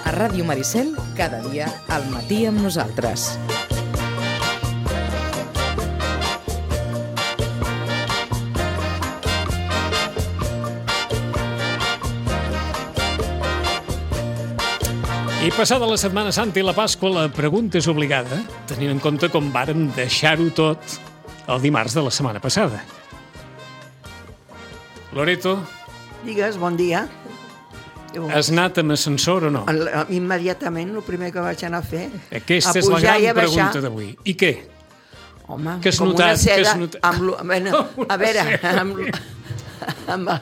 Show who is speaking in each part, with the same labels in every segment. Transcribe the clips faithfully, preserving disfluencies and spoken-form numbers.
Speaker 1: A Ràdio Maricel, cada dia al matí amb nosaltres.
Speaker 2: I passada la Setmana Santa i la Pasqua, la pregunta és obligada, tenint en compte com vàrem deixar-ho tot el dimarts de la setmana passada. Loreto?
Speaker 3: Digues, bon dia.
Speaker 2: Has anat amb ascensor o no?
Speaker 3: Immediatament, el primer que vaig anar a fer...
Speaker 2: Aquesta és la gran pregunta d'avui. I què?
Speaker 3: Home,
Speaker 2: que has
Speaker 3: com
Speaker 2: notat,
Speaker 3: una seda...
Speaker 2: Que has notat...
Speaker 3: Amb, bueno, a veure, amb, amb,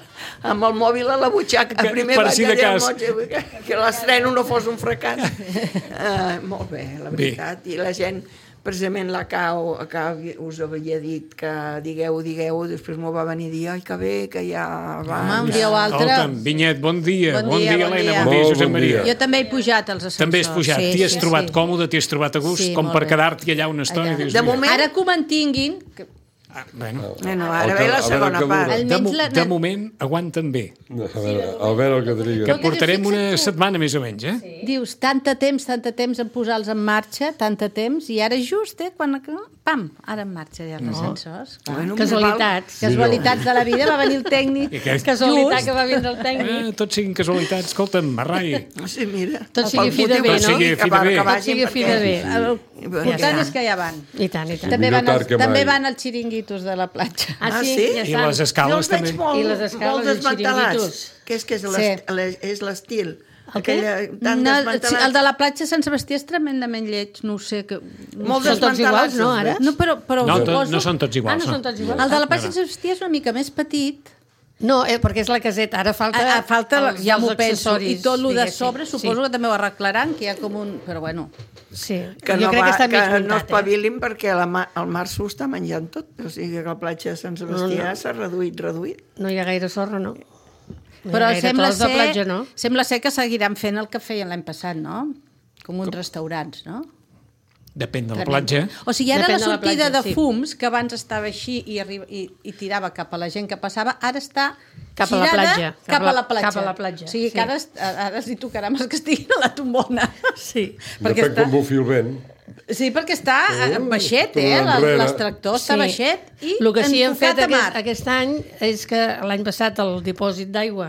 Speaker 3: amb el mòbil a la butxaca,
Speaker 2: que,
Speaker 3: primer
Speaker 2: per
Speaker 3: vaig
Speaker 2: si de
Speaker 3: dir
Speaker 2: cas.
Speaker 3: que, que l'estreno no fos un fracàs. Uh, molt bé, la veritat. Bé. I la gent, precisament la Cau, que us havia dit que digueu, digueu, després m'ho va venir a dir, ai, que bé, que ja va...
Speaker 4: Home, un dia o altre...
Speaker 2: Escolta'm, Vinyet, bon dia.
Speaker 4: Bon, bon dia,
Speaker 2: dia,
Speaker 4: bon
Speaker 2: Helena,
Speaker 4: dia.
Speaker 2: bon dia, Josep Maria.
Speaker 4: Jo també he pujat als ascensors.
Speaker 2: També has pujat.
Speaker 4: Sí,
Speaker 2: T'hi has
Speaker 4: sí,
Speaker 2: trobat
Speaker 4: sí.
Speaker 2: còmode, t'hi has trobat a gust,
Speaker 4: sí,
Speaker 2: com per
Speaker 4: bé.
Speaker 2: quedar-t'hi allà una estona.
Speaker 4: Allà.
Speaker 2: Dius,
Speaker 3: De moment...
Speaker 4: Ara que ho mantinguin... Que...
Speaker 2: Ah, bueno.
Speaker 3: Bueno, ara ve la segona part.
Speaker 2: De, mo de moment, aguanten bé.
Speaker 5: A veure, a veure el que triga.
Speaker 2: Que portarem una setmana més o menys, eh?
Speaker 4: Sí. Dius, tanta temps, tanta temps en posar-los en marxa, tanta temps, i ara just, eh, quan... Pam, ara en marxa ja els no. ascensors.
Speaker 3: Bueno,
Speaker 4: casualitats. Casualitats de la vida, va venir el tècnic.
Speaker 2: Aquest...
Speaker 4: Casualitat que va vindre el tècnic.
Speaker 2: Eh, tots siguin casualitats. Escolta'm, Marrai.
Speaker 3: Sí, mira.
Speaker 4: Tot sigui fi de bé, no?
Speaker 2: Tot sigui fi de bé.
Speaker 4: Tot sigui fi de bé. El important és que ja van.
Speaker 6: I tant, i tant.
Speaker 4: També van, els, també van els xiringuitos de la platja.
Speaker 6: Ah, sí?
Speaker 3: sí?
Speaker 6: Ja
Speaker 2: I les escales també.
Speaker 3: Molt,
Speaker 6: I les escales
Speaker 3: molt desmantelats. Què és que és
Speaker 4: Sí.
Speaker 3: l'estil?
Speaker 4: El què? No, el de la platja Sant Sebastià és tremendament lleig, no ho sé. Que...
Speaker 3: Molt
Speaker 6: Són tots iguals, no, ara?
Speaker 4: No, però, però
Speaker 2: No, to,
Speaker 4: poso...
Speaker 2: no són tots
Speaker 6: Ah,
Speaker 2: iguals.
Speaker 6: no són tots iguals?
Speaker 4: El de la platja Sant Sebastià és una mica més petit.
Speaker 6: No, eh, perquè és la caseta. Ara falta,
Speaker 4: A, a falta
Speaker 6: els,
Speaker 4: ja
Speaker 6: els
Speaker 4: m'ho penso. I
Speaker 6: accessoris,
Speaker 4: tot el de
Speaker 6: diguéssim.
Speaker 4: sobre suposo
Speaker 6: sí.
Speaker 4: que també ho arreglaran, que hi ha com un... Però bueno...
Speaker 6: Sí,
Speaker 3: Que
Speaker 6: jo
Speaker 3: no,
Speaker 6: crec
Speaker 3: va,
Speaker 6: que està mig
Speaker 3: que
Speaker 6: muntat,
Speaker 3: no espavilin eh? perquè la, el mar s'ho està menjant tot. O sigui que la platja de Sant Sebastià
Speaker 6: No, no.
Speaker 3: s'ha reduït, reduït.
Speaker 6: eh? No hi ha gaire sorra, no. no
Speaker 4: Però
Speaker 6: gaire
Speaker 4: sembla
Speaker 6: trossos de
Speaker 4: ser,
Speaker 6: platja, no?
Speaker 4: sembla ser que seguiran fent el que feien l'any passat, no? Com uns restaurants, no?
Speaker 2: Depèn de la platja.
Speaker 4: O sigui, ara
Speaker 6: Depèn
Speaker 4: la
Speaker 6: de la
Speaker 4: sortida
Speaker 6: platja,
Speaker 4: de
Speaker 6: sí.
Speaker 4: fums, que abans estava així i, arriba, i, i tirava cap a la gent que passava, ara està
Speaker 6: Cap a la
Speaker 4: girada
Speaker 6: platja.
Speaker 4: Cap a la platja.
Speaker 6: Cap a la platja,
Speaker 4: O sigui,
Speaker 6: sí.
Speaker 4: que ara, ara els hi tocarà més que estiguin a la tombona.
Speaker 6: Sí.
Speaker 5: Depèn com bufi el vent.
Speaker 4: Sí, perquè està uh, baixet,
Speaker 5: tot
Speaker 4: eh?
Speaker 5: enrere.
Speaker 4: L'extractor està baixet i
Speaker 6: el que sí han fet
Speaker 4: enfocat a mar.
Speaker 6: aquest, aquest any és que l'any passat el dipòsit d'aigua,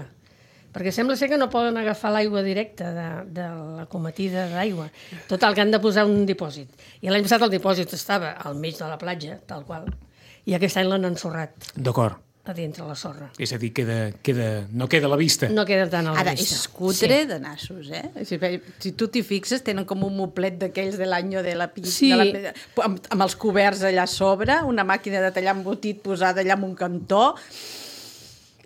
Speaker 6: perquè sembla ser que no poden agafar l'aigua directa de, de la cometida d'aigua. Total, que han de posar un dipòsit. I l'any passat el dipòsit estava al mig de la platja, tal qual, i aquest any l'han ensorrat
Speaker 2: D'acord.
Speaker 6: a dintre la sorra.
Speaker 2: És a dir, queda, queda, no queda a la vista.
Speaker 6: No queda tant a la
Speaker 4: Ara,
Speaker 6: vista.
Speaker 4: és cutre sí. de nassos, eh? Si, si tu t'hi fixes, tenen com un moplet d'aquells de l'any de la pista,
Speaker 6: Sí.
Speaker 4: de la, amb, amb els coberts allà a sobre, una màquina de tallar embotit posada allà en un cantó,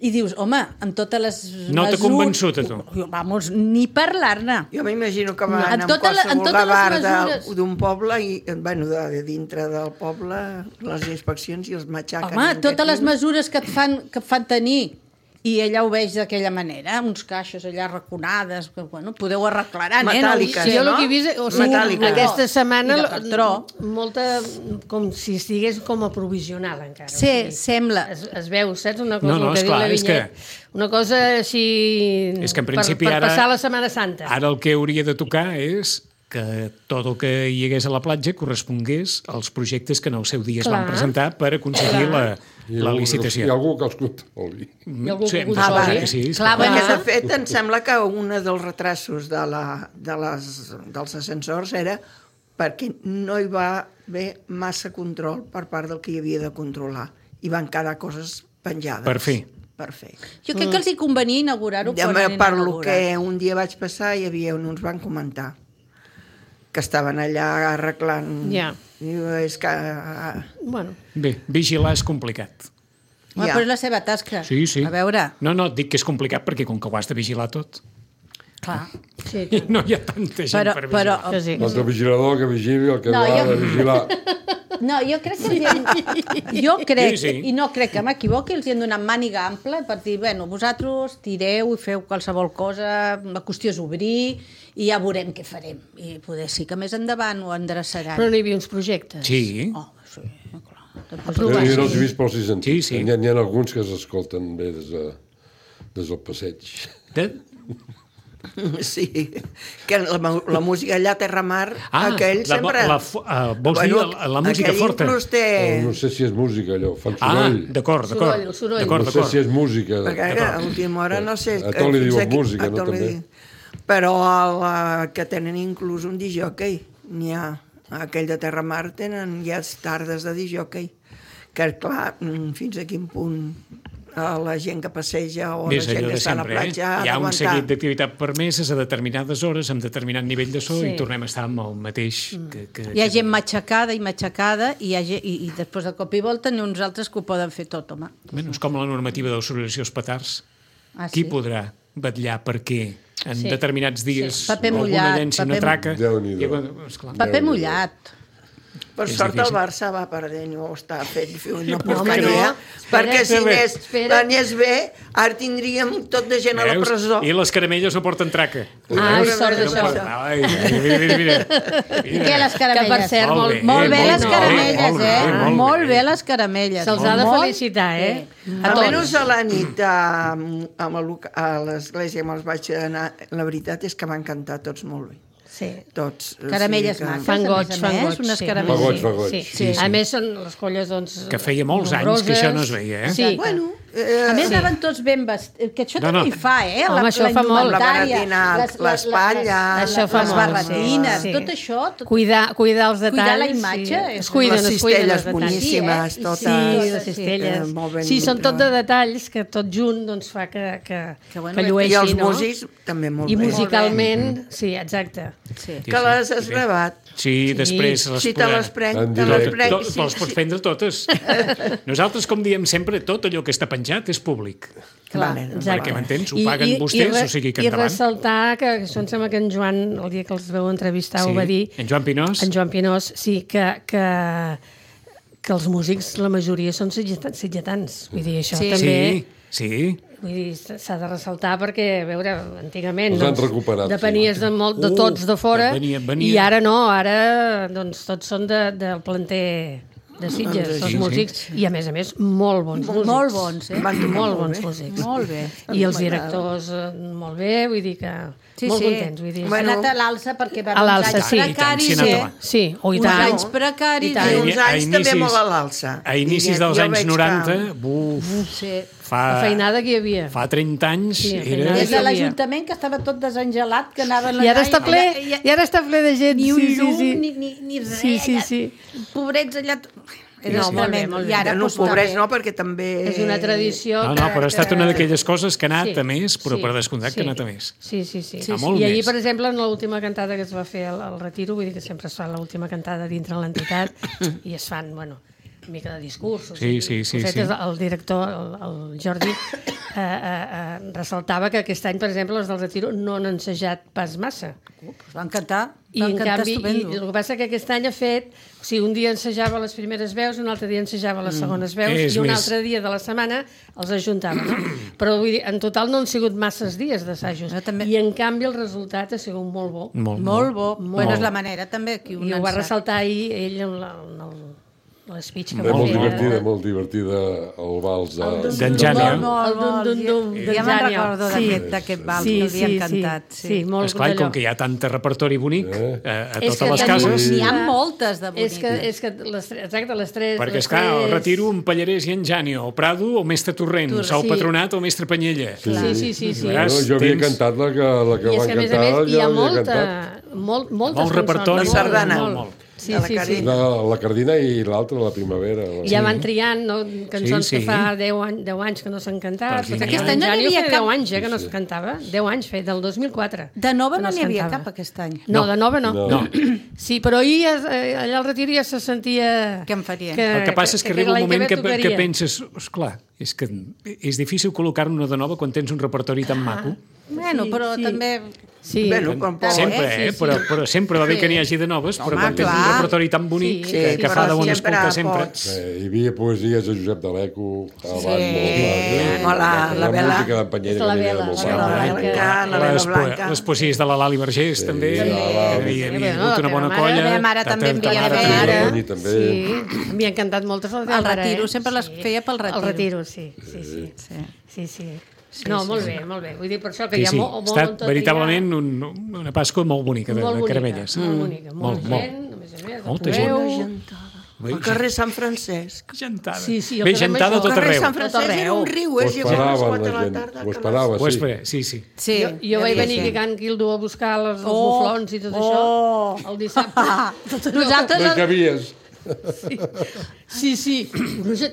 Speaker 4: i dius, home, amb totes les
Speaker 2: No t'ha convençut, a tu?
Speaker 4: Vamos, ni parlar-ne.
Speaker 3: Jo m'imagino que van
Speaker 4: En
Speaker 3: en
Speaker 4: tota la- en
Speaker 3: qualsevol
Speaker 4: totes les
Speaker 3: gavar
Speaker 4: mesures.
Speaker 3: de- d'un poble i, bueno, de, de dintre del poble, les inspeccions i els matxaquen.
Speaker 4: Home,
Speaker 3: en
Speaker 4: totes les
Speaker 3: aquest-
Speaker 4: mesures que et fan, que et fan tenir, i ella ho veig d'aquella manera, uns caixos allà raconades, que, bueno, podeu arreglar, eh?
Speaker 3: Metàl·liques,
Speaker 6: Sí, jo el
Speaker 3: no?
Speaker 6: que he vist, o sigui,
Speaker 3: Metàl·lica.
Speaker 6: aquesta setmana
Speaker 4: I de cartró.
Speaker 6: molta, com si estigués com a provisional encara.
Speaker 4: Sí,
Speaker 6: o sigui,
Speaker 4: sembla.
Speaker 6: Es, es veu, saps? Una cosa
Speaker 2: No, no,
Speaker 6: el que
Speaker 2: esclar,
Speaker 6: diu la
Speaker 2: és que-
Speaker 6: Vinyet. Una cosa així...
Speaker 2: És que en principi
Speaker 6: per, per
Speaker 2: ara-
Speaker 6: passar la Setmana Santa.
Speaker 2: Ara el que hauria de tocar és que tot el que hi hagués a la platja correspongués als projectes que en el seu dia es van
Speaker 6: Clar.
Speaker 2: presentar per aconseguir la,
Speaker 5: I
Speaker 2: la
Speaker 5: algú-
Speaker 2: licitació.
Speaker 5: Hi ha algú que els controli.
Speaker 6: Hi ha algú
Speaker 2: Sí,
Speaker 6: que
Speaker 2: em
Speaker 6: ho
Speaker 2: sembla
Speaker 6: sabi.
Speaker 2: que sí, és
Speaker 4: Clar,
Speaker 2: clar.
Speaker 3: Perquè,
Speaker 4: bueno,
Speaker 3: de fet, em sembla que un dels retrasos de la, de les, dels ascensors era perquè no hi va haver massa control per part del que hi havia de controlar. I van quedar coses penjades.
Speaker 2: Per fi.
Speaker 3: Per fer.
Speaker 4: Jo crec que els hi convenia inaugurar-ho
Speaker 3: Ja,
Speaker 4: quan anem
Speaker 3: per
Speaker 4: a
Speaker 3: lo
Speaker 4: inaugurar.
Speaker 3: que un dia vaig passar hi havia on ens van comentar que estaven allà arreglant.
Speaker 6: Ja.
Speaker 3: Diu, és que... ah,
Speaker 6: Bueno,
Speaker 2: Bé, vigilar és complicat.
Speaker 4: Home,
Speaker 3: Ja.
Speaker 4: però és la seva tasca.
Speaker 2: Sí, sí.
Speaker 4: A veure,
Speaker 2: No, no, et dic que és complicat perquè com que ho has de vigilar tot
Speaker 4: clar.
Speaker 6: sí,
Speaker 2: i no hi ha tanta gent
Speaker 4: Però,
Speaker 2: per
Speaker 4: però,
Speaker 2: vigilar.
Speaker 6: que sí.
Speaker 5: L'altre vigilador que vigili el que
Speaker 4: No,
Speaker 5: no, va
Speaker 4: jo-
Speaker 5: de vigilar.
Speaker 4: no, jo crec que els hi hem... jo crec,
Speaker 2: Sí, sí.
Speaker 4: i no crec que m'equivoqui, els hi hem donat màniga ampla per dir, bueno, vosaltres tireu i feu qualsevol cosa, la qüestió és obrir i ja veurem què farem. I poder sí que més endavant ho endreçaran.
Speaker 6: Però no hi havia uns projectes.
Speaker 2: Sí,
Speaker 4: Oh, sí, clar.
Speaker 5: Jo no els he vist, però sí sentit.
Speaker 2: Sí, sí.
Speaker 5: N'hi ha, n'hi ha alguns que s'escolten bé des, de, des del passeig.
Speaker 2: De...
Speaker 3: Sí, que la, la música allà a Terramar,
Speaker 2: Ah,
Speaker 3: aquell
Speaker 2: la,
Speaker 3: sempre...
Speaker 2: la, la, vols dir la, la música
Speaker 3: aquell
Speaker 2: forta?
Speaker 3: inclús té...
Speaker 5: Oh, no sé si és música, allò, fan
Speaker 2: Ah,
Speaker 5: soroll.
Speaker 2: d'acord, d'acord.
Speaker 4: Soroll, soroll.
Speaker 2: D'acord,
Speaker 5: No sé
Speaker 2: d'acord.
Speaker 5: si és música.
Speaker 3: Perquè ara, a última hora no sé...
Speaker 5: A tot li
Speaker 3: fins
Speaker 5: diuen
Speaker 3: aquí-
Speaker 5: música,
Speaker 3: a
Speaker 5: no,
Speaker 3: tot li
Speaker 5: també?
Speaker 3: diuen. Però la, que tenen inclús un disjockey, n'hi ha. Aquell de Terramar tenen ja tardes de disjockey. Que, clar, fins a quin punt a la gent que passeja o
Speaker 2: Més
Speaker 3: la gent
Speaker 2: allò
Speaker 3: que
Speaker 2: de
Speaker 3: està a la
Speaker 2: sempre, eh?
Speaker 3: platja ha
Speaker 2: Hi ha un
Speaker 3: d'aguantar.
Speaker 2: seguit d'activitat permeses a determinades hores, amb determinat nivell de so,
Speaker 6: Sí.
Speaker 2: i tornem a estar amb el mateix... Que, que,
Speaker 4: Hi ha
Speaker 2: que-
Speaker 4: gent matxacada i matxacada i, hi ha gent, i, i després de cop i volta n'hi ha uns altres que ho poden fer tot, home.
Speaker 2: Bueno, és com la normativa d'obsolesceció als petards.
Speaker 4: Ah,
Speaker 2: Qui
Speaker 4: sí?
Speaker 2: podrà vetllar perquè en
Speaker 6: Sí.
Speaker 2: determinats dies
Speaker 4: Sí. Paper
Speaker 2: alguna
Speaker 4: mullat,
Speaker 2: llenci una
Speaker 4: paper-
Speaker 2: traca...
Speaker 5: Déu-n'hi-do.
Speaker 2: i, bueno, esclar,
Speaker 4: Paper mullat.
Speaker 3: Per
Speaker 2: És
Speaker 3: sort el
Speaker 2: difícil.
Speaker 3: Barça va perdent, no està fet no
Speaker 6: home,
Speaker 3: porcaria,
Speaker 6: no.
Speaker 3: perquè si
Speaker 2: Espera,
Speaker 3: anés,
Speaker 6: espera.
Speaker 3: anés bé, ara tindríem tot de gent a la
Speaker 2: veus?
Speaker 3: presó.
Speaker 2: I les caramelles no porten traca.
Speaker 6: Ai,
Speaker 2: Veus?
Speaker 6: sort
Speaker 2: No
Speaker 6: d'això.
Speaker 2: porten- Ai, mira, mira, mira.
Speaker 4: I què, les caramelles?
Speaker 6: Que, per cert,
Speaker 2: Molt
Speaker 6: molt,
Speaker 2: bé.
Speaker 4: Molt bé
Speaker 2: molt
Speaker 4: les
Speaker 2: bé,
Speaker 4: caramelles,
Speaker 2: molt bé,
Speaker 4: eh?
Speaker 2: molt bé.
Speaker 4: Molt bé les caramelles.
Speaker 6: Se'ls ha de
Speaker 4: Molt
Speaker 6: felicitar, eh?
Speaker 3: A Almenys a la nit a, a, a l'església que me'ls vaig anar, la veritat és que m'han cantat tots molt bé.
Speaker 6: Sí.
Speaker 3: Tots. O
Speaker 4: Caramelles
Speaker 3: sigui que-
Speaker 4: maques,
Speaker 6: Fan
Speaker 4: a
Speaker 6: goig,
Speaker 4: més a
Speaker 6: fan
Speaker 4: més,
Speaker 6: goig,
Speaker 4: unes
Speaker 6: sí.
Speaker 4: caramelles.
Speaker 5: Fa goig, fa goig.
Speaker 6: Sí,
Speaker 2: Sí,
Speaker 6: sí.
Speaker 2: sí.
Speaker 6: A més, són les colles, doncs...
Speaker 2: Que feia molts anys que això no es veia, eh?
Speaker 6: Sí.
Speaker 3: Bueno, eh,
Speaker 4: A més,
Speaker 6: Sí.
Speaker 4: anaven tots ben vestits, que això
Speaker 2: No,
Speaker 4: també
Speaker 2: no.
Speaker 4: hi fa, eh?
Speaker 6: Home, això fa molt.
Speaker 3: La
Speaker 4: indumentària,
Speaker 3: baratina,
Speaker 4: les- les-
Speaker 3: l'espatlla,
Speaker 4: les-
Speaker 6: Això fa
Speaker 4: les
Speaker 6: molt,
Speaker 4: barretines,
Speaker 6: sí.
Speaker 4: tot això... Tot...
Speaker 6: Cuidar, cuidar els detalls.
Speaker 4: Cuidar la imatge,
Speaker 6: Sí.
Speaker 4: és-
Speaker 6: Es cuiden,
Speaker 3: les
Speaker 6: es cuiden els
Speaker 3: cistelles
Speaker 6: detalls.
Speaker 3: boníssimes,
Speaker 4: Sí, eh?
Speaker 3: totes.
Speaker 6: Sí, les
Speaker 4: Sí,
Speaker 6: cistelles.
Speaker 3: eh, molt ben
Speaker 6: Sí, són tot de
Speaker 3: treballat.
Speaker 6: detalls que tot junt doncs, fa que, que,
Speaker 4: Que bueno,
Speaker 6: que
Speaker 3: I
Speaker 6: llueixi,
Speaker 3: els
Speaker 6: no?
Speaker 3: músics també molt
Speaker 6: I
Speaker 3: bé.
Speaker 6: musicalment, sí, exacte.
Speaker 4: Sí.
Speaker 3: Que les has gravat.
Speaker 2: Sí, després les
Speaker 3: Si te les prenc,
Speaker 5: En
Speaker 3: te les
Speaker 5: directe.
Speaker 3: prenc.
Speaker 2: To-
Speaker 3: sí,
Speaker 2: les pots
Speaker 3: sí.
Speaker 2: prendre totes. Nosaltres, com diem sempre, tot allò que està penjat és públic.
Speaker 3: Vale, doncs
Speaker 6: Exacte.
Speaker 2: Perquè m'entens? Ho
Speaker 6: I-
Speaker 2: paguen
Speaker 6: i-
Speaker 2: vostès,
Speaker 6: i re-
Speaker 2: o sigui que
Speaker 6: I
Speaker 2: endavant.
Speaker 6: ressaltar que això em sembla que en Joan, el dia que els veu entrevistar,
Speaker 2: Sí,
Speaker 6: ho va dir,
Speaker 2: en Joan Pinós.
Speaker 6: en Joan Pinós, sí, que, que, que els músics, la majoria, són sitgetans. sitgetans. Vull dir, això
Speaker 4: Sí.
Speaker 6: també...
Speaker 2: Sí, sí.
Speaker 6: Vull dir, s'ha de ressaltar perquè, a veure, antigament
Speaker 5: Els han
Speaker 6: doncs,
Speaker 5: recuperat,
Speaker 6: depenies
Speaker 5: sí.
Speaker 6: de, molt, de
Speaker 2: Uh,
Speaker 6: tots de fora
Speaker 2: venia- venia-
Speaker 6: i ara no, ara doncs, tots són de, del planter de Sitges,
Speaker 3: Doncs
Speaker 6: els
Speaker 2: sí,
Speaker 6: músics, i a més a més molt bons músics.
Speaker 4: Molt bons, eh?
Speaker 3: Van tocar
Speaker 6: Molt
Speaker 3: molt
Speaker 6: bons
Speaker 3: bé.
Speaker 6: músics.
Speaker 4: Molt bé.
Speaker 6: I els directors eh, molt bé, vull dir que
Speaker 4: Sí,
Speaker 6: molt
Speaker 4: sí.
Speaker 6: contents. Vull dir.
Speaker 4: Ha
Speaker 3: Bueno,
Speaker 4: anat a l'alça perquè va
Speaker 6: a
Speaker 4: uns
Speaker 6: l'alça,
Speaker 4: anys
Speaker 6: sí.
Speaker 4: precaris.
Speaker 2: I tant, sí,
Speaker 4: eh?
Speaker 2: ha anat
Speaker 6: Sí, o i
Speaker 4: Uns
Speaker 6: tant.
Speaker 4: anys precaris.
Speaker 6: I tant.
Speaker 3: I
Speaker 2: A
Speaker 3: uns anys també
Speaker 2: inicis-
Speaker 3: molt a l'alça.
Speaker 2: A inicis
Speaker 3: I
Speaker 2: dels
Speaker 3: jo
Speaker 2: anys
Speaker 3: veig
Speaker 2: noranta,
Speaker 3: que-
Speaker 2: buf,
Speaker 4: Sí.
Speaker 2: fa,
Speaker 6: La feinada que hi havia.
Speaker 2: fa trenta anys
Speaker 6: Sí,
Speaker 2: era...
Speaker 6: feinada.
Speaker 4: Des de
Speaker 6: havia.
Speaker 4: l'Ajuntament, que estava tot desengelat, que anaven...
Speaker 6: I ara
Speaker 4: allà
Speaker 6: està ple,
Speaker 4: i- i-
Speaker 6: i ara està ple de gent.
Speaker 4: Ni un
Speaker 6: sí,
Speaker 4: llum,
Speaker 6: sí, sí.
Speaker 4: ni, ni, ni res.
Speaker 6: Sí, sí, sí.
Speaker 4: Pobrets allà... Era
Speaker 6: No, molt bé,
Speaker 4: tremendo.
Speaker 6: molt bé.
Speaker 4: I ara,
Speaker 3: No,
Speaker 4: doncs,
Speaker 3: pobrets
Speaker 4: també.
Speaker 3: no, perquè també...
Speaker 6: És una tradició
Speaker 2: No, no,
Speaker 6: que,
Speaker 2: però ha estat
Speaker 6: que-
Speaker 2: una d'aquelles coses que ha anat
Speaker 6: Sí,
Speaker 2: a més, però
Speaker 6: sí,
Speaker 2: per descomptat
Speaker 6: sí.
Speaker 2: que ha anat a més.
Speaker 6: Sí, sí, sí.
Speaker 2: Sí, sí. molt
Speaker 6: I ahir,
Speaker 2: més.
Speaker 6: per exemple, en l'última cantada que es va fer al, al Retiro, vull dir que sempre es fa l'última cantada dintre l'entitat i es fan, bueno, una mica de discursos.
Speaker 2: Sí,
Speaker 6: i
Speaker 2: sí, sí,
Speaker 6: cosetes.
Speaker 2: sí.
Speaker 6: El director, el, el Jordi, eh, eh, eh, ressaltava que aquest any, per exemple, els del Retiro no han ensajat pas massa.
Speaker 4: Pues van cantar,
Speaker 6: I,
Speaker 4: van
Speaker 6: en
Speaker 4: cantar
Speaker 6: canvi, i
Speaker 4: estupendo.
Speaker 6: el que passa que aquest any ha fet... O sigui, un dia ensajava les primeres veus, un altre dia ensajava les segones veus
Speaker 2: És
Speaker 6: i un
Speaker 2: més.
Speaker 6: altre dia de la setmana els ajuntava. No? Però vull dir, en total no han sigut masses dies d'assajos.
Speaker 4: Jo també-
Speaker 6: I en canvi el resultat ha sigut molt bo.
Speaker 2: Molt,
Speaker 4: Molt bo.
Speaker 6: Molt.
Speaker 4: Bueno, és la manera també que un
Speaker 6: I ho va
Speaker 4: en sap.
Speaker 6: ressaltar ahir ell en la- en el- l'espeech que
Speaker 5: Bé,
Speaker 6: va
Speaker 5: molt
Speaker 6: fer.
Speaker 5: divertida, molt divertida el vals de...
Speaker 2: D'en Jània.
Speaker 4: Molt, molt,
Speaker 6: El dum, dum, dum,
Speaker 4: molt.
Speaker 6: d'en
Speaker 4: Ja me'n
Speaker 6: Jània.
Speaker 4: recordo
Speaker 6: Sí.
Speaker 4: d'aquest d'aquest vals
Speaker 6: Sí,
Speaker 4: que
Speaker 6: sí,
Speaker 4: havien
Speaker 6: sí.
Speaker 4: cantat.
Speaker 6: Sí, molt
Speaker 2: Esclar, i
Speaker 6: d'allò.
Speaker 2: com que hi ha tant repertori bonic
Speaker 5: Eh?
Speaker 2: a, a
Speaker 6: És
Speaker 2: totes
Speaker 6: que
Speaker 2: les
Speaker 6: tenim-
Speaker 2: cases...
Speaker 4: N'hi ha moltes de
Speaker 6: És
Speaker 4: boniques.
Speaker 6: que, és que les, tres- exacte, les tres...
Speaker 2: Perquè,
Speaker 6: les
Speaker 2: esclar, el
Speaker 6: tres-
Speaker 2: Retiro, un Pallarès i en Jània, o Prado o Mestre Torrent,
Speaker 6: Torrent,
Speaker 2: Sau
Speaker 6: sí.
Speaker 2: Patronat o Mestre Panyella.
Speaker 6: Sí, sí, sí. sí.
Speaker 2: Clar.
Speaker 5: No, jo havia
Speaker 2: Tens-
Speaker 5: cantat la que, la que
Speaker 6: I és
Speaker 5: van
Speaker 6: que, a més a
Speaker 5: cantar,
Speaker 6: més, hi ha
Speaker 5: jo havia
Speaker 6: molta,
Speaker 5: cantat.
Speaker 6: molt, moltes
Speaker 2: Molt repertori.
Speaker 6: cançons.
Speaker 3: La sardana.
Speaker 6: Molt,
Speaker 2: Molt.
Speaker 6: Sí,
Speaker 3: De la
Speaker 6: sí, sí.
Speaker 3: Carina.
Speaker 5: La, la Cardina i l'altra, la Primavera. La...
Speaker 6: Ja van triant no? cançons
Speaker 2: Sí, sí.
Speaker 6: que fa deu anys, deu anys que no s'han cantat.
Speaker 2: Perquè
Speaker 6: Perquè
Speaker 2: aquest
Speaker 4: any no n'hi
Speaker 6: Jani ho
Speaker 4: havia
Speaker 6: feia
Speaker 4: cap-
Speaker 6: deu anys eh, que no es cantava. deu anys feia, del dos mil quatre.
Speaker 4: De nova
Speaker 6: que
Speaker 4: no
Speaker 6: es
Speaker 4: n'hi havia
Speaker 6: cantava.
Speaker 4: cap aquest any.
Speaker 6: No, de nova no.
Speaker 5: No.
Speaker 2: No.
Speaker 6: Sí, però ahir eh, allà al Retiro ja se sentia...
Speaker 4: Què en faria?
Speaker 2: El que passa és que arriba un
Speaker 6: l'any
Speaker 2: moment
Speaker 6: ve
Speaker 2: que, que
Speaker 6: tocaria.
Speaker 2: penses, esclar, és que és difícil col·locar una de nova quan tens un repertori tan maco.
Speaker 4: Bueno,
Speaker 6: Sí,
Speaker 4: però
Speaker 6: sí.
Speaker 4: també...
Speaker 6: Sí.
Speaker 3: Bueno, com poc.
Speaker 2: Sempre,
Speaker 6: Sí,
Speaker 2: eh?
Speaker 6: sí.
Speaker 2: Però, però sempre va bé
Speaker 6: Sí.
Speaker 2: que n'hi hagi de noves, però
Speaker 4: Home,
Speaker 2: quan tens un
Speaker 4: clar.
Speaker 2: repertori tan bonic
Speaker 6: Sí,
Speaker 2: que,
Speaker 3: sí,
Speaker 2: que
Speaker 3: però
Speaker 2: fa de bon
Speaker 3: sempre
Speaker 2: escoltar sempre.
Speaker 3: pots.
Speaker 5: Eh, hi havia poesies de Josep D'Aleco, abans, molt
Speaker 3: Hola,
Speaker 5: la,
Speaker 3: la Vela.
Speaker 5: música d'en Panyera,
Speaker 6: És la
Speaker 5: que n'hi havia
Speaker 6: Vela,
Speaker 5: molt
Speaker 6: la
Speaker 5: bona.
Speaker 6: Vela.
Speaker 3: Blanca, la Vela
Speaker 2: Les, po
Speaker 3: Blanca.
Speaker 2: les poesies de la Lali Vergés, també,
Speaker 5: Sí,
Speaker 2: que
Speaker 5: la Lali.
Speaker 2: havia, havia
Speaker 6: Bueno,
Speaker 2: hagut una
Speaker 6: la
Speaker 2: bona
Speaker 6: teva
Speaker 2: colla.
Speaker 6: mare-
Speaker 4: la meva mare
Speaker 2: Ta-
Speaker 4: també
Speaker 2: ta-
Speaker 4: en
Speaker 2: ta
Speaker 4: havia
Speaker 2: mare
Speaker 4: fet.
Speaker 2: també.
Speaker 5: La
Speaker 6: Ara,
Speaker 5: Toni també.
Speaker 6: sí, m'hi ha encantat moltes les de
Speaker 4: El
Speaker 6: mare,
Speaker 4: retiro,
Speaker 6: eh?
Speaker 4: sempre les feia pel retiro.
Speaker 6: El retiro, sí, sí, sí.
Speaker 4: Sí.
Speaker 6: Sí, sí. No, molt bé, molt bé. Vull dir, per això que
Speaker 2: Sí,
Speaker 6: hi ha
Speaker 2: sí,
Speaker 6: molt,
Speaker 2: ha
Speaker 6: molt
Speaker 2: estat
Speaker 6: tot
Speaker 2: veritablement
Speaker 6: hi ha...
Speaker 2: un, una Pasqua molt bonica de,
Speaker 6: molt
Speaker 2: de
Speaker 6: bonica,
Speaker 2: caramelles.
Speaker 6: molt bonica,
Speaker 2: Molt,
Speaker 6: molta
Speaker 2: molt,
Speaker 6: gent, a més a més,
Speaker 2: Molta
Speaker 6: la
Speaker 2: gent.
Speaker 6: trobeu.
Speaker 3: Gentada.
Speaker 2: Bé,
Speaker 3: Al carrer Sant Francesc.
Speaker 2: Gentada.
Speaker 6: Sí, sí, el
Speaker 2: Bé,
Speaker 6: carrer
Speaker 2: gentada a
Speaker 6: Major.
Speaker 2: tot
Speaker 3: El carrer
Speaker 2: arreu.
Speaker 3: Sant Francesc
Speaker 6: Tot
Speaker 3: era
Speaker 6: arreu.
Speaker 3: un riu,
Speaker 5: Ho
Speaker 3: eh? Si a les
Speaker 5: esperaven
Speaker 3: quatre
Speaker 5: la
Speaker 3: de la
Speaker 5: gent,
Speaker 3: tarda.
Speaker 5: ho
Speaker 3: que
Speaker 5: esperava,
Speaker 2: Ho
Speaker 5: sí.
Speaker 2: espera, sí, sí.
Speaker 4: Sí.
Speaker 6: Jo, jo vaig venir
Speaker 3: sí.
Speaker 6: a Can Quildo a buscar els, els
Speaker 4: Oh,
Speaker 6: muflons i tot
Speaker 4: oh.
Speaker 6: això el dissabte.
Speaker 4: Nosaltres...
Speaker 5: No hi cabies.
Speaker 6: Sí, sí.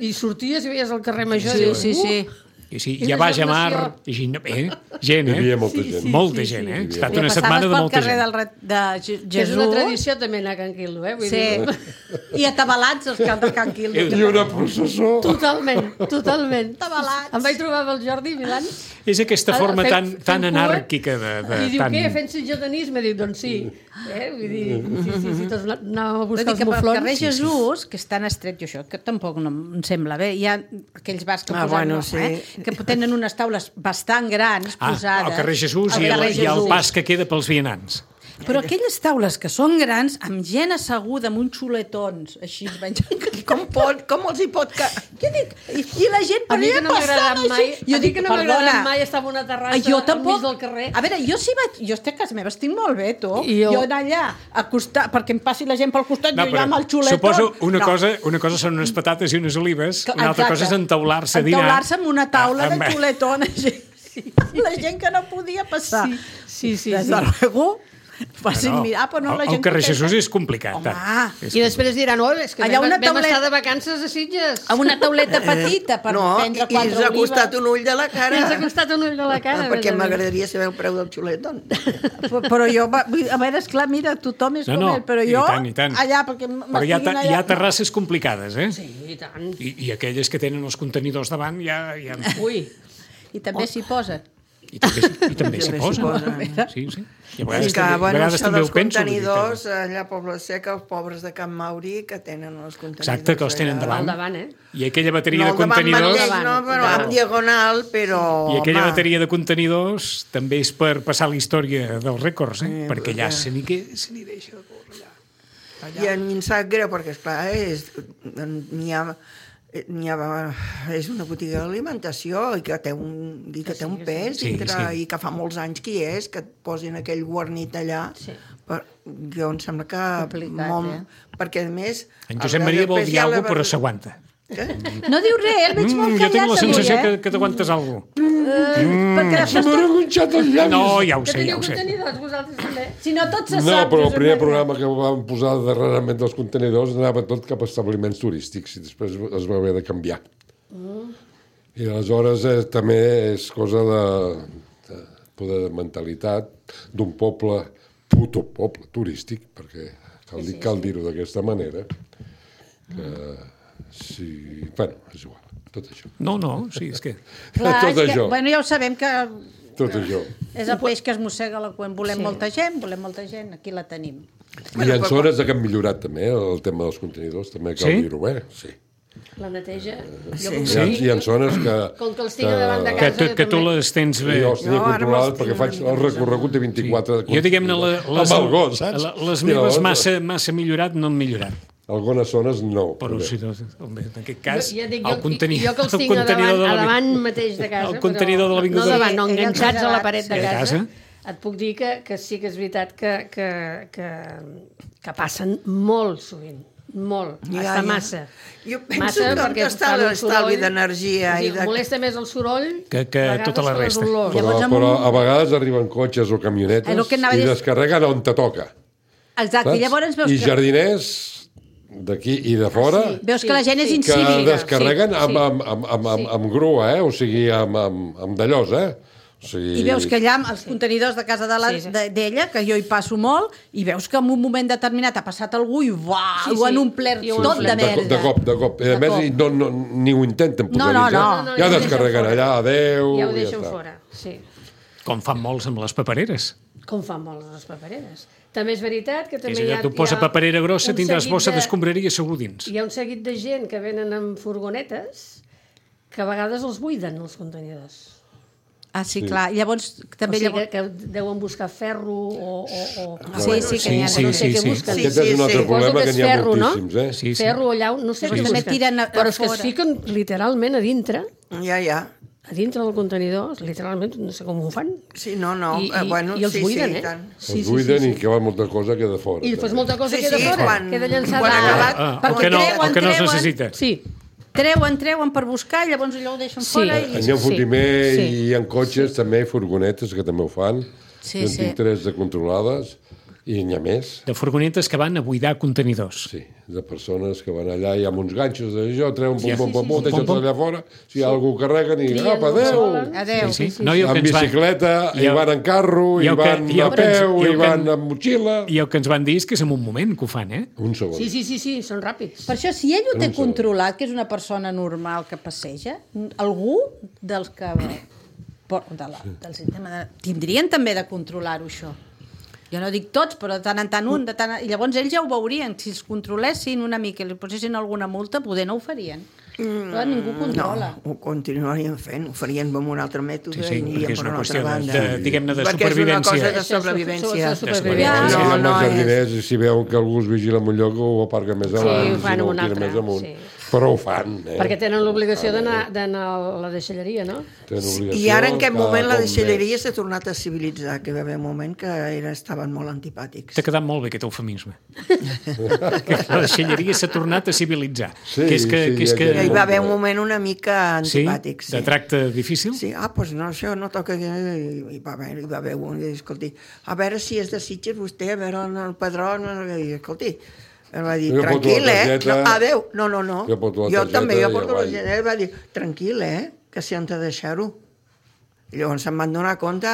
Speaker 6: I sorties i veies el carrer Major.
Speaker 4: Sí,
Speaker 6: i dius,
Speaker 4: sí, sí.
Speaker 2: I sí,
Speaker 6: I
Speaker 2: ja
Speaker 6: la
Speaker 2: va a mar,
Speaker 6: germació.
Speaker 2: i gent, eh? gent,
Speaker 5: Hi havia
Speaker 2: eh?
Speaker 5: molta
Speaker 6: Sí,
Speaker 5: gent.
Speaker 6: sí.
Speaker 2: Molta gent, eh? Ha estat
Speaker 4: I
Speaker 2: una
Speaker 4: passaves
Speaker 2: setmana de
Speaker 4: pel
Speaker 2: molta
Speaker 4: carrer
Speaker 2: gent.
Speaker 4: del re- de Je-
Speaker 6: Que és
Speaker 4: Jesús.
Speaker 6: una tradició també anar a Can Quildo, eh? Vull
Speaker 4: Sí.
Speaker 6: dir,
Speaker 4: I atabalats els camps de Can Quildo.
Speaker 5: I una processó.
Speaker 6: totalment, totalment.
Speaker 4: Tabalats.
Speaker 6: Em vaig trobar amb el Jordi Milan.
Speaker 2: És aquesta forma
Speaker 6: fent-
Speaker 2: tan,
Speaker 6: fent
Speaker 2: tan
Speaker 6: cua,
Speaker 2: anàrquica de... de
Speaker 6: I diu,
Speaker 2: tan...
Speaker 6: què, fent suggeronisme? Dic, doncs sí. Eh? Vull dir, sí, sí, sí, tots anàvem a
Speaker 4: Vull
Speaker 6: buscar
Speaker 4: dir
Speaker 6: els
Speaker 4: que pel
Speaker 6: muflons.
Speaker 4: carrer Jesús, que és tan estret, i això, que tampoc no em sembla bé, hi ha aquells bars que
Speaker 3: Ah,
Speaker 4: posen,
Speaker 3: bueno,
Speaker 4: no,
Speaker 3: sí.
Speaker 4: eh? que tenen unes taules bastant grans
Speaker 2: Ah,
Speaker 4: posades.
Speaker 2: al carrer Jesús
Speaker 4: al
Speaker 2: i, el,
Speaker 4: carrer
Speaker 2: i el
Speaker 4: Jesús.
Speaker 2: pas que queda pels vianants.
Speaker 4: Però aquelles taules que són grans, amb gent asseguda, amb uns xuletons, així es mengen.
Speaker 3: Com, pot, com els hi pot... Que...
Speaker 4: Què dic? I, I la gent
Speaker 6: A
Speaker 4: per
Speaker 6: mi que
Speaker 4: allà
Speaker 6: no m'ha agradat
Speaker 4: passant
Speaker 6: mai,
Speaker 4: així.
Speaker 6: a mi que no m'ha
Speaker 4: perdona,
Speaker 6: agradat mai estar en una terrassa
Speaker 4: jo
Speaker 6: al
Speaker 4: tampoc,
Speaker 6: mig del carrer.
Speaker 4: A veure, jo sí vaig... Jo estic a casa meva, estic molt bé, tu.
Speaker 6: I
Speaker 4: jo...
Speaker 6: jo-
Speaker 4: jo anar allà, a costar, perquè em passi la gent pel costat,
Speaker 2: No,
Speaker 4: jo ja amb el xuletón.
Speaker 2: suposo una,
Speaker 4: no.
Speaker 2: cosa, una cosa són unes patates i unes olives,
Speaker 4: Que-
Speaker 2: una altra
Speaker 4: exacte.
Speaker 2: cosa és entaular-se a dinar.
Speaker 4: Entaular-se amb una taula
Speaker 2: Ah,
Speaker 4: de
Speaker 2: amb-
Speaker 4: xuletón. així. La gent que no podia passar.
Speaker 6: Sí, sí, sí.
Speaker 4: Des
Speaker 6: sí.
Speaker 4: de luego, facin
Speaker 2: No,
Speaker 4: mirar, però no la
Speaker 2: el,
Speaker 4: gent...
Speaker 2: el carrer
Speaker 4: que té-
Speaker 2: Jesús és complicat.
Speaker 4: Home,
Speaker 2: tant. És
Speaker 6: I després diran, oh, és que
Speaker 4: Allà
Speaker 6: vam,
Speaker 4: una
Speaker 6: vam
Speaker 4: tauleta-
Speaker 6: estar de vacances a Sitges.
Speaker 4: amb una tauleta petita per
Speaker 3: no,
Speaker 4: prendre
Speaker 3: i, i
Speaker 4: quatre
Speaker 3: ens ha costat
Speaker 4: olives.
Speaker 3: un ull de la cara.
Speaker 6: Ens ha costat un ull de la cara.
Speaker 3: Ah,
Speaker 6: a
Speaker 3: perquè
Speaker 6: més a més.
Speaker 3: m'agradaria saber el preu del xuletón.
Speaker 4: Però jo, va- vull dir, a veure, esclar, mira, tothom és
Speaker 2: No,
Speaker 4: com
Speaker 2: no,
Speaker 4: ell, però
Speaker 2: i
Speaker 4: jo
Speaker 2: tant, i tant.
Speaker 4: allà, perquè
Speaker 2: Però hi ha, ta-
Speaker 4: m'estiguin
Speaker 2: hi ha
Speaker 4: allà...
Speaker 2: terrasses complicades, eh?
Speaker 6: Sí, i tant.
Speaker 2: I, I aquelles que tenen els contenidors davant ja... ja...
Speaker 6: Ui,
Speaker 4: I també s'hi posa.
Speaker 2: I també, i també s'hi
Speaker 3: També s'hi
Speaker 2: posen.
Speaker 3: posen.
Speaker 2: Sí, sí. I a vegades,
Speaker 3: És que,
Speaker 2: també, a
Speaker 3: bueno,
Speaker 2: vegades
Speaker 3: això
Speaker 2: també ho
Speaker 3: dels
Speaker 2: penso. vull dir que-
Speaker 3: contenidors, allà a Poble Sec, els pobres de Can Mauri, que tenen els contenidors.
Speaker 2: Exacte, que els tenen
Speaker 3: allà.
Speaker 2: davant.
Speaker 6: al davant, eh?
Speaker 2: I aquella bateria
Speaker 3: No,
Speaker 2: de
Speaker 3: al davant
Speaker 2: contenidors...
Speaker 3: mateix, no, però
Speaker 6: Davant.
Speaker 3: en diagonal, però...
Speaker 2: I aquella
Speaker 3: home,
Speaker 2: bateria de contenidors també és per passar la història dels rècords, eh?
Speaker 3: Sí,
Speaker 2: perquè allà
Speaker 3: perquè-
Speaker 2: se n'hi que- se n'hi deixa de córrer allà.
Speaker 3: I a mi em sap greu, perquè, esclar, és, n'hi ha, n'hi ha, és una botiga d'alimentació i que té un, i que té un pes
Speaker 2: Sí,
Speaker 3: dintre,
Speaker 2: sí.
Speaker 3: i que fa molts anys que hi és, que et posin aquell guarnit allà.
Speaker 6: Sí.
Speaker 3: Per, jo em sembla que...
Speaker 4: Complicat,
Speaker 3: molt,
Speaker 4: eh?
Speaker 3: Perquè, a més...
Speaker 2: En Josep Maria vol dir alguna cosa, però s'aguanta.
Speaker 3: Què?
Speaker 4: No diu res, el veig molt
Speaker 2: Mm, jo tinc
Speaker 4: callat
Speaker 2: la sensació
Speaker 4: avui,
Speaker 2: que,
Speaker 4: eh?
Speaker 2: que t'aguantes alguna cosa.
Speaker 4: Perquè
Speaker 5: Se m'han enganxat els llavis.
Speaker 2: No, ja ho
Speaker 6: Que
Speaker 2: sé, ja
Speaker 6: teniu
Speaker 2: ho sé.
Speaker 6: contenidors, vosaltres també.
Speaker 4: Si no tot se
Speaker 5: No,
Speaker 4: sap...
Speaker 5: però el
Speaker 4: Josep
Speaker 5: primer
Speaker 4: Maria.
Speaker 5: programa que vam posar darrerament dels contenidors anava tot cap a establiments turístics i després es va haver de canviar. I aleshores eh, també és cosa de, de poder de mentalitat d'un poble, puto poble turístic, perquè cal, dir, cal dir-ho d'aquesta manera, que si... Bueno, és igual, tot això.
Speaker 2: No, no, sí, és que...
Speaker 4: Clar,
Speaker 5: tot
Speaker 4: és que,
Speaker 5: això,
Speaker 4: bueno, ja ho sabem que
Speaker 5: tot això.
Speaker 4: és el peix que es mossega la cua. Volem
Speaker 6: Sí.
Speaker 4: molta gent, volem molta gent, aquí la tenim.
Speaker 5: I hi ha zones que han millorat també, el tema dels contenidors, també cal
Speaker 2: Sí?
Speaker 5: dir-ho, eh? Sí.
Speaker 6: La neteja. Jo
Speaker 3: Sí.
Speaker 6: com
Speaker 5: Hi ha,
Speaker 6: que
Speaker 5: hi ha zones que...
Speaker 6: Com que els tinc davant de
Speaker 2: Que,
Speaker 6: casa,
Speaker 2: tu,
Speaker 6: jo
Speaker 2: que tu
Speaker 6: també.
Speaker 2: les tens bé.
Speaker 5: Jo els tenia
Speaker 3: No, ara
Speaker 5: controlades
Speaker 3: me'ls
Speaker 5: perquè
Speaker 3: tinc
Speaker 5: faig
Speaker 3: una
Speaker 5: el
Speaker 3: mica
Speaker 5: recorregut de vint-i-quatre...
Speaker 2: Jo, diguem-ne, la- les,
Speaker 5: Amb el gos, saps?
Speaker 2: la- les
Speaker 5: I
Speaker 2: meves
Speaker 5: llavors,
Speaker 2: massa, massa millorat no han millorat.
Speaker 5: Algunes zones no.
Speaker 2: Però
Speaker 5: també.
Speaker 2: si no, home, en aquest cas,
Speaker 6: Jo, ja dic,
Speaker 2: el
Speaker 6: jo,
Speaker 2: contenidor,
Speaker 6: jo que els
Speaker 2: el
Speaker 6: tinc a
Speaker 2: contenidor
Speaker 6: davant,
Speaker 2: de
Speaker 6: a
Speaker 2: la-
Speaker 6: davant mateix de casa.
Speaker 2: el contenidor de
Speaker 6: però,
Speaker 2: l'Avinguda.
Speaker 6: No davant, no,
Speaker 4: Sí,
Speaker 6: enganxats a la paret de
Speaker 2: sí.
Speaker 6: casa.
Speaker 2: casa.
Speaker 6: Et puc dir que, que sí que és veritat que, que, que, que passen molt sovint. Molt,
Speaker 3: Ja,
Speaker 6: hasta
Speaker 3: ja.
Speaker 6: massa.
Speaker 3: Jo penso
Speaker 6: Massa,
Speaker 3: que on
Speaker 6: perquè
Speaker 3: està
Speaker 6: fan un
Speaker 3: l'estalvi
Speaker 6: soroll-
Speaker 3: d'energia
Speaker 6: o
Speaker 3: i
Speaker 6: sigui,
Speaker 3: de...
Speaker 6: molesta més el soroll
Speaker 2: Que- que
Speaker 6: a vegades
Speaker 2: tota la
Speaker 6: que les
Speaker 2: resta.
Speaker 6: olors.
Speaker 5: Però,
Speaker 4: Llavors, amb
Speaker 5: però
Speaker 4: un-
Speaker 5: a vegades arriben cotxes o camionetes
Speaker 4: És el que anava a
Speaker 5: i
Speaker 4: dir.
Speaker 5: descarreguen on te toca.
Speaker 4: Exacte, i llavors veus
Speaker 5: I
Speaker 4: que...
Speaker 5: jardiners d'aquí i de fora
Speaker 6: sí.
Speaker 4: Veus que la gent és
Speaker 6: Sí, sí.
Speaker 5: que
Speaker 4: incívica.
Speaker 5: descarreguen
Speaker 6: sí,
Speaker 5: amb,
Speaker 6: sí.
Speaker 5: amb, amb, amb, amb, amb grua, eh? O sigui, amb, amb, amb d'allòs, eh? O sigui...
Speaker 4: I veus que allà, als contenidors de casa de la-
Speaker 6: Sí, sí.
Speaker 4: de- d'ella, que jo hi passo molt, i veus que en un moment determinat ha passat algú i uah,
Speaker 6: Sí,
Speaker 4: ho han
Speaker 6: sí.
Speaker 4: omplert
Speaker 6: I ho
Speaker 4: tot
Speaker 6: han
Speaker 4: de
Speaker 6: omplert.
Speaker 4: merda.
Speaker 5: De, de cop, de cop. I a
Speaker 4: De
Speaker 5: més,
Speaker 4: cop.
Speaker 5: i no, no, ni ho intenten
Speaker 4: No, no,
Speaker 5: posar
Speaker 4: no.
Speaker 6: No, no,
Speaker 5: Ja
Speaker 6: ja ho
Speaker 5: descarreguen
Speaker 6: deixen
Speaker 5: allà, adeu...
Speaker 6: Ja ho
Speaker 5: i
Speaker 6: deixen
Speaker 5: està.
Speaker 6: fora, sí.
Speaker 2: com fan molts amb les papereres.
Speaker 6: Com fan molts les papereres. També és veritat que també
Speaker 2: És
Speaker 6: hi
Speaker 2: allò,
Speaker 6: ha...
Speaker 2: tu posa
Speaker 6: hi ha
Speaker 2: paperera grossa,
Speaker 6: un
Speaker 2: tindràs
Speaker 6: seguit
Speaker 2: bossa
Speaker 6: de-
Speaker 2: d'escombraria segur dins.
Speaker 6: Hi ha un seguit de gent que venen amb furgonetes que a vegades els buiden, els contenidors.
Speaker 4: Ah, sí, clar. Llavors, també...
Speaker 6: o sigui,
Speaker 4: llavors...
Speaker 6: que, que deuen buscar ferro o... o, o...
Speaker 4: Sí, sí, que n'hi ha.
Speaker 2: Sí,
Speaker 6: no sé
Speaker 2: sí,
Speaker 6: què
Speaker 2: sí.
Speaker 6: busquen.
Speaker 3: Sí,
Speaker 5: Aquest és un altre
Speaker 3: sí.
Speaker 5: problema,
Speaker 6: Suposo
Speaker 5: que
Speaker 6: que
Speaker 5: n'hi ha
Speaker 6: és ferro, no?
Speaker 5: moltíssims, eh?
Speaker 2: Sí, sí.
Speaker 6: Ferro o llau, no sé
Speaker 4: Sí,
Speaker 6: què
Speaker 4: també
Speaker 6: busquen.
Speaker 4: tiren a- a
Speaker 6: Però és que es
Speaker 4: fora.
Speaker 6: fiquen literalment a dintre,
Speaker 3: Ja, ja.
Speaker 6: a dintre del contenidor, literalment, no sé com ho fan.
Speaker 3: Sí, no, no.
Speaker 6: I,
Speaker 3: eh,
Speaker 6: i,
Speaker 3: bueno,
Speaker 6: i els
Speaker 3: sí,
Speaker 6: buiden,
Speaker 3: sí,
Speaker 6: eh?
Speaker 3: i tant.
Speaker 6: Sí,
Speaker 5: Els buiden i queda molta cosa que de fora.
Speaker 6: I després
Speaker 5: també.
Speaker 6: molta cosa
Speaker 3: Sí,
Speaker 6: queda
Speaker 3: sí,
Speaker 6: fora,
Speaker 3: quan-
Speaker 6: queda llançada.
Speaker 3: quan ha acabat-
Speaker 2: Ah, o
Speaker 4: Perquè
Speaker 2: que no,
Speaker 4: treuen,
Speaker 2: o que no es
Speaker 4: treuen.
Speaker 2: necessita.
Speaker 6: Sí,
Speaker 4: Treuen, treuen per buscar, llavors allò ho deixen
Speaker 6: Sí.
Speaker 4: fora i...
Speaker 5: N'hi ha un
Speaker 6: Sí,
Speaker 5: fotimer
Speaker 6: sí.
Speaker 5: i hi ha cotxes, també, furgonetes, que també ho fan.
Speaker 4: Sí,
Speaker 5: Jo en
Speaker 4: sí.
Speaker 5: tinc tres de controlades i n'hi ha més.
Speaker 2: De furgonetes que van a buidar contenidors.
Speaker 5: Sí, de persones que van allà i amb uns ganxos d'això, treuen pum,
Speaker 2: Ja.
Speaker 5: pum, pum, pum,
Speaker 2: sí, sí.
Speaker 5: deixen
Speaker 2: Pum,
Speaker 5: tot allà fora. Si hi ha algú que carreguen i
Speaker 6: Trien
Speaker 5: apa,
Speaker 6: el que
Speaker 5: adéu!
Speaker 6: volen.
Speaker 4: Adéu.
Speaker 2: Sí, sí. No, i el que
Speaker 5: Amb
Speaker 2: ens van-
Speaker 5: bicicleta,
Speaker 2: i
Speaker 5: i
Speaker 2: el-
Speaker 5: van en carro,
Speaker 2: i
Speaker 5: i
Speaker 2: el que-
Speaker 5: van
Speaker 2: i el
Speaker 5: a
Speaker 2: que ens-
Speaker 5: peu,
Speaker 2: i el
Speaker 5: i
Speaker 2: que-
Speaker 5: van amb motxilla.
Speaker 2: I el que ens van dir és que és en un moment que ho fan, eh?
Speaker 5: Un segon.
Speaker 6: sí, sí, sí, sí, són ràpids.
Speaker 4: Per això, si ell ho
Speaker 5: En
Speaker 4: té
Speaker 5: un segon.
Speaker 4: controlat, que és una persona normal que passeja, algú dels que... por- De la, del sistema de, tindrien també de controlar-ho, això. Jo no dic tots, però de tant en tant un. De tant en, I llavors ells ja ho veurien. Si els controlessin una mica i li posessin alguna multa, poder no ho farien. Però ningú controla.
Speaker 3: No, ho continuarien fent, ho farien amb un altre mètode
Speaker 2: Sí, sí,
Speaker 3: i
Speaker 2: perquè
Speaker 3: anirien
Speaker 2: és
Speaker 3: per
Speaker 2: una
Speaker 3: una
Speaker 2: qüestió
Speaker 3: altra
Speaker 2: de-
Speaker 3: banda.
Speaker 2: de- diguem-ne, de
Speaker 3: Perquè és una
Speaker 2: supervivència.
Speaker 3: cosa de
Speaker 6: Això,
Speaker 3: sobrevivència.
Speaker 6: de supervivència.
Speaker 5: Si
Speaker 3: No,
Speaker 5: no,
Speaker 3: no,
Speaker 5: no
Speaker 3: és...
Speaker 5: jardiners, i si veuen que algú es vigila en un lloc, ho aparca més
Speaker 6: ho
Speaker 5: avall,
Speaker 6: fan
Speaker 5: si no
Speaker 6: un
Speaker 5: ho tira
Speaker 6: altre,
Speaker 5: més amunt.
Speaker 6: sí.
Speaker 5: Però ho fan, eh?
Speaker 6: Perquè tenen l'obligació d'anar d'anar a la deixalleria, no?
Speaker 5: Tenen obligació
Speaker 3: I ara en aquest
Speaker 5: cada
Speaker 3: moment la
Speaker 5: cop
Speaker 3: deixalleria
Speaker 5: més.
Speaker 3: s'ha tornat a civilitzar, que va haver un moment que era, estaven molt antipàtics.
Speaker 2: T'ha quedat molt bé aquest eufemisme. Que la deixalleria s'ha tornat a civilitzar.
Speaker 5: Sí,
Speaker 2: que és que,
Speaker 5: sí,
Speaker 2: que, és
Speaker 5: ja-
Speaker 2: que...
Speaker 3: Ja hi va haver un moment una mica
Speaker 2: Sí?
Speaker 3: antipàtic. Sí,
Speaker 2: De tracte difícil?
Speaker 3: Sí, ah, doncs no, això no toca... I va haver, hi va haver un, i, escolti, a veure si és de Sitges vostè, a veure el, el padró, no, i, escolti, em va dir,
Speaker 5: Jo porto
Speaker 3: tranquil,
Speaker 5: la
Speaker 3: eh?
Speaker 5: targeta.
Speaker 3: No, adéu, no, no, no.
Speaker 5: Jo porto la
Speaker 3: jo
Speaker 5: targeta
Speaker 3: també, jo
Speaker 5: i
Speaker 3: porto la
Speaker 5: avall.
Speaker 3: targeta, va dir, tranquil, eh? Que si han de deixar-ho. I llavors se'n van donar compte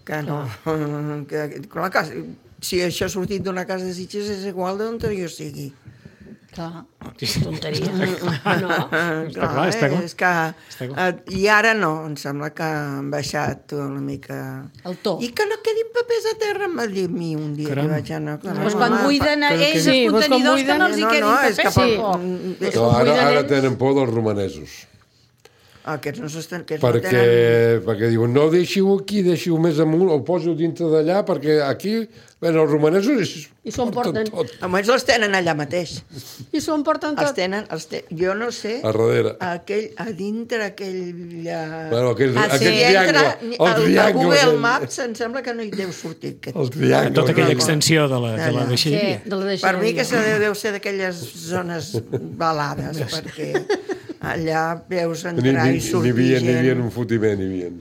Speaker 3: que no, que, clar, que si això ha sortit d'una casa de Sitges és igual d'on jo sigui.
Speaker 4: Clar.
Speaker 6: Tonteria. No.
Speaker 2: Està clar, està clar.
Speaker 3: És que,
Speaker 2: Està clar.
Speaker 3: eh, I ara no, em sembla que han baixat una mica...
Speaker 4: El to.
Speaker 3: I que no quedin papers a terra, em va dir a mi un dia
Speaker 2: Caram.
Speaker 3: que vaig anar...
Speaker 4: Doncs quan buiden a
Speaker 2: que-
Speaker 4: ells
Speaker 6: Sí,
Speaker 4: els
Speaker 6: doncs quan
Speaker 4: contenidors que
Speaker 6: buiden-
Speaker 4: no els hi
Speaker 3: no,
Speaker 4: quedin
Speaker 3: no, és que
Speaker 4: papers.
Speaker 3: per-
Speaker 6: Sí.
Speaker 3: Mm,
Speaker 5: No, ara,
Speaker 6: cuiden
Speaker 5: ara
Speaker 6: ells.
Speaker 5: tenen por dels romanesos.
Speaker 3: Aquests no s'estan... Aquests
Speaker 5: Perquè,
Speaker 3: no tenen...
Speaker 5: perquè diuen, no deixiu aquí, deixiu més amunt, el poso dintre d'allà, perquè aquí, bueno, els romanesos es
Speaker 6: I s'ho emporten.
Speaker 5: tot
Speaker 3: Almenys els tenen allà mateix.
Speaker 6: I s'ho emporten
Speaker 3: Els
Speaker 6: tot.
Speaker 3: tenen... Els te... Jo no sé...
Speaker 5: a darrere.
Speaker 3: Aquell, a dintre aquell... Uh...
Speaker 5: Bueno, aquell,
Speaker 4: Ah, sí.
Speaker 5: aquell
Speaker 3: Si entra
Speaker 5: triangle, el
Speaker 3: al, a
Speaker 5: triangle.
Speaker 3: Google
Speaker 5: aquell.
Speaker 3: Maps em sembla que no hi deu sortir. Aquest.
Speaker 5: El triangle.
Speaker 2: Tota aquella
Speaker 3: no, no.
Speaker 2: extensió de la, de la
Speaker 3: Allà.
Speaker 6: Sí,
Speaker 2: deixalleria.
Speaker 6: de la
Speaker 3: Per
Speaker 6: deixalleria.
Speaker 3: mi que se deu ser d'aquelles zones balades, perquè allà veus
Speaker 5: Ni,
Speaker 3: entrar
Speaker 5: ni,
Speaker 3: i
Speaker 5: ni,
Speaker 3: sortir
Speaker 5: havia, ni havia
Speaker 3: gent
Speaker 5: un fotiment, ni havia.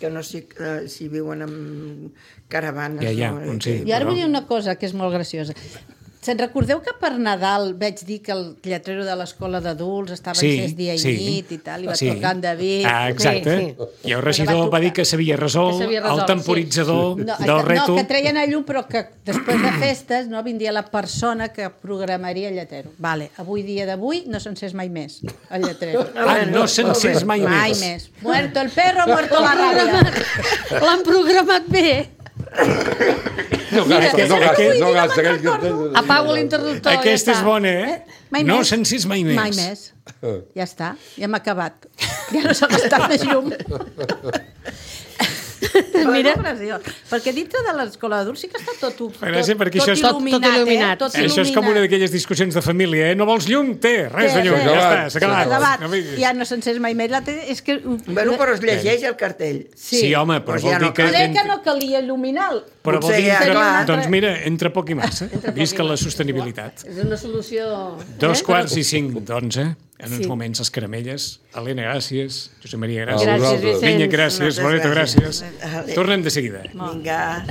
Speaker 3: que no sé eh, si viuen en caravanes.
Speaker 2: Ja, ja,
Speaker 3: no?
Speaker 2: on sí.
Speaker 4: I ara vull dir una cosa que és molt graciosa. Se'n recordeu que per Nadal vaig dir que el lletrer de l'escola d'adults estava
Speaker 2: Sí,
Speaker 4: encès dia i
Speaker 2: sí.
Speaker 4: nit i tal, i va
Speaker 2: Sí.
Speaker 4: tocar en David.
Speaker 2: Ah, exacte.
Speaker 6: Sí,
Speaker 2: I el regidor
Speaker 4: va
Speaker 2: va dir
Speaker 4: tocar.
Speaker 2: que s'havia resolt
Speaker 6: Que s'havia resolt,
Speaker 2: el temporitzador
Speaker 4: No,
Speaker 2: del
Speaker 4: no,
Speaker 2: rètol.
Speaker 4: que treien a llum, però que després de festes no vindria la persona que programaria el lletrero. Vale, avui dia d'avui no s'encés mai més, el lletrero.
Speaker 2: Ah, no s'encés mai,
Speaker 4: Mai
Speaker 2: més.
Speaker 4: més. Muerto el perro, muerto la ràbia.
Speaker 6: L'han programat bé.
Speaker 5: No gasta, no gasta, no gasta. Aquell que...
Speaker 6: Apago l'interruptor.
Speaker 2: Aquesta
Speaker 6: ja
Speaker 2: és
Speaker 6: està.
Speaker 2: bona, eh?
Speaker 4: Mai
Speaker 2: No
Speaker 4: més.
Speaker 2: s'encés mai més.
Speaker 4: Mai més. Ja està, ja hem acabat. Ja no s'ha gastat més llum. Mira. Perquè dintre de l'escola d'adults sí que està tot, tot,
Speaker 2: Però sí, perquè
Speaker 4: tot,
Speaker 2: això és
Speaker 6: tot- tot
Speaker 4: il·luminat,
Speaker 6: il·luminat.
Speaker 4: eh? Tot
Speaker 2: Això és com una
Speaker 4: il·luminat.
Speaker 2: d'aquelles discussions de família, eh? No vols llum? Té, res
Speaker 4: Té,
Speaker 2: de llum.
Speaker 4: té.
Speaker 2: Ja està,
Speaker 5: Acabat.
Speaker 2: s'ha acabat.
Speaker 4: Acabat.
Speaker 2: No diguis.
Speaker 4: Ja no s'encés mai més. La té, és que...
Speaker 3: Bueno, però es llegeix el cartell.
Speaker 2: Sí, home, però
Speaker 3: Doncs
Speaker 2: vol
Speaker 3: ja
Speaker 2: dir
Speaker 3: no
Speaker 2: que...
Speaker 3: cal.
Speaker 4: Crec que no calia il·luminar.
Speaker 2: Però vol
Speaker 3: Potser
Speaker 2: dir
Speaker 3: ja,
Speaker 2: que...
Speaker 3: clar.
Speaker 2: Doncs mira, entre poc i massa. Visca la sostenibilitat.
Speaker 6: És una solució...
Speaker 2: Dos
Speaker 6: eh?
Speaker 2: quarts i cinc d'onze. En uns
Speaker 6: Sí.
Speaker 2: moments, les caramelles. Helena, gràcies. Josep Maria,
Speaker 5: A
Speaker 2: gràcies.
Speaker 6: Gràcies,
Speaker 5: vosaltres.
Speaker 6: Vicenç.
Speaker 2: Vinya, gràcies.
Speaker 3: Moltes
Speaker 2: Loreto,
Speaker 3: gràcies.
Speaker 2: gràcies.
Speaker 3: Vale.
Speaker 2: Tornem de seguida.
Speaker 3: Vinga.